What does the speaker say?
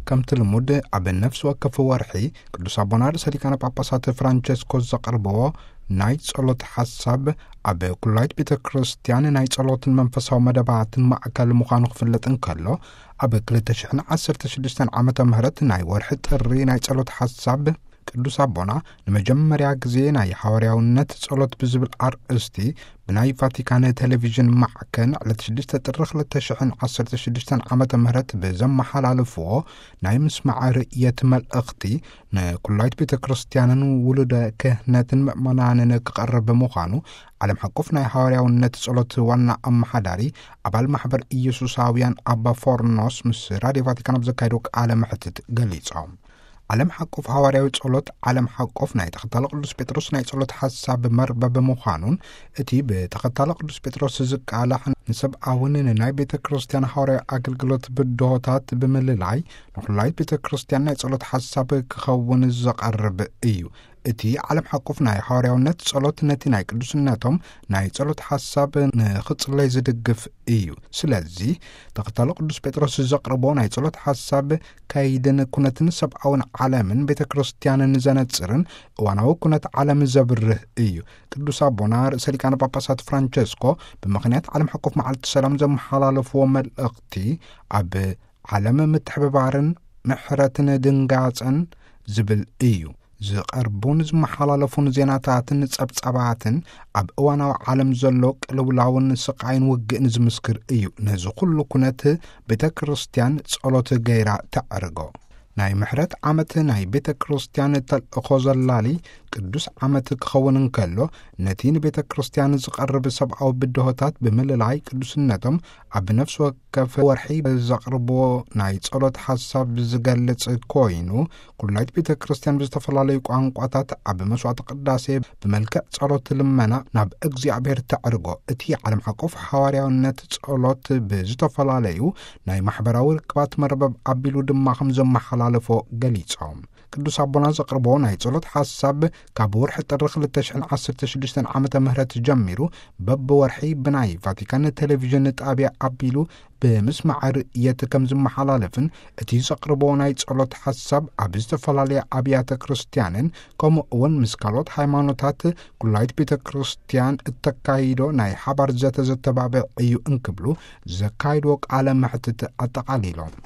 ከምቲ ልሙድ ኣብ ነፍሲ ወከፍ ወርሒ ቅዱስ ኣቦና ርእሰ ሊቃነ ጳጳሳት ፍራንቸስኮ ዘቕርብዎ ናይ ጸሎት ሓሳብ ኣብ ኩላይት ቤተ ክርስቲያን ናይ ጸሎትን መንፈሳዊ መደባትን ማእከል ምዃኑ ክፍለጥ እንከሎ፣ ኣብ ክልተ ሽሕን ዓሰርተ ሽዱሽተን ዓመተ ምህረት ናይ ወርሒ ጥሪ ናይ ጸሎት ሓሳብ ቅዱስ ኣቦና ንመጀመርያ ግዜ ናይ ሓዋርያውነት ጸሎት ብዝብል ኣርእስቲ ብናይ ቫቲካን ቴሌቪዥን ማዕከን ዕለት ሽዱሽተ ጥሪ ክልተ ሽሕን ዓሰርተ ሽዱሽተን ዓመተ ምህረት ብዘመሓላለፍዎ ናይ ምስማዕ ርእየት መልእኽቲ ንኩላይት ቤተ ክርስቲያንን ውሉደ ክህነትን ምእመናንን ክቐርብ ምዃኑ ዓለም ሓቆፍ ናይ ሓዋርያውነት ጸሎት ዋና ኣመሓዳሪ ኣባል ማሕበር ኢየሱሳውያን ኣባ ፎርኖስ ምስ ራድዮ ቫቲካን ኣብ ዘካየዶ ቃለ መሕትት ገሊጾም። ዓለም ሓቆፍ ሃዋርያዊ ጸሎት ዓለም ሓቆፍ ናይ ተኸታሊ ቅዱስ ጴጥሮስ ናይ ጸሎት ሓሳብ መርበብ ምዃኑን፣ እቲ ብተኸታሊ ቅዱስ ጴጥሮስ ዝቃላሕ ንሰብኣውን ንናይ ቤተ ክርስቲያን ሃዋርያዊ ኣገልግሎት ብድሆታት ብምልላይ ንኹላይት ቤተ ክርስቲያን ናይ ጸሎት ሓሳብ ክኸውን ዘቐርብ እዩ። እቲ ዓለም ሓቆፍ ናይ ሃዋርያውነት ጸሎት ነቲ ናይ ቅዱስነቶም ናይ ጸሎት ሓሳብ ንኽጽለይ ዝድግፍ እዩ። ስለዚ ተኸታሊ ቅዱስ ጴጥሮስ ዘቕርቦ ናይ ጸሎት ሓሳብ ከይድን ኩነትን ሰብኣውን ዓለምን ቤተ ክርስቲያንን ዘነጽርን እዋናዊ ኩነት ዓለም ዘብርህ እዩ። ቅዱስ ኣቦና ርእሰ ሊቃነ ጳጳሳት ፍራንቸስኮ ብምኽንያት ዓለም ሓቆፍ መዓልቲ ሰላም ዘመሓላለፍዎ መልእኽቲ ኣብ ዓለም ምትሕብባርን ምሕረትን ድንጋጸን ዝብል እዩ። ዝቐርቡን ዝመሓላለፉን ዜናታትን ጸብጻባትን ኣብ እዋናዊ ዓለም ዘሎ ቅልውላውን ስቓይን ውግእን ዝምስክር እዩ። ነዚ ኩሉ ኩነት ቤተ ክርስቲያን ጸሎት ገይራ ተዕርጎ። ናይ ምሕረት ዓመት ናይ ቤተ ክርስቲያን ተልእኾ ዘላሊ ቅዱስ ዓመት ክኸውን እንከሎ፣ ነቲ ንቤተ ክርስቲያን ዝቐርብ ሰብኣዊ ብድሆታት ብምልላይ ቅዱስነቶም ኣብ ነፍሲ ወከፍ ወርሒ ዘቕርብዎ ናይ ጸሎት ሓሳብ ዝገልጽ ኮይኑ፣ ኩላይት ቤተ ክርስቲያን ብዝተፈላለዩ ቋንቋታት ኣብ መስዋዕቲ ቅዳሴ ብመልክዕ ጸሎት ልመና ናብ እግዚኣብሔር ተዕርጎ። እቲ ዓለም ሓቆፍ ሓዋርያውነት ጸሎት ብዝተፈላለዩ ናይ ማሕበራዊ ርክባት መርበብ ኣቢሉ ድማ ከም ዘመሓላለፎ ገሊጾም። ቅዱስ ኣቦና ዘቕርቦ ናይ ጸሎት ሓሳብ ካብ ወርሒ ጥሪ ክልተ ሽሕን ዓሰርተ ሽዱሽተን ዓመተ ምህረት ጀሚሩ በብወርሒ ብናይ ቫቲካን ቴሌቪዥን ጣብያ ኣቢሉ ብምስማዕ ርእየት ከም ዝመሓላለፍን፣ እቲ ዘቕርቦ ናይ ጸሎት ሓሳብ ኣብ ዝተፈላለያ ኣብያተ ክርስቲያንን ከምኡ እውን ምስ ካልኦት ሃይማኖታት ኩላይት ቤተ ክርስቲያን እተካይዶ ናይ ሓባር ዘተ ዘተባብዕ እዩ እንክብሉ ዘካይድዎ ቃለ መሕትት ኣጠቓሊሎም።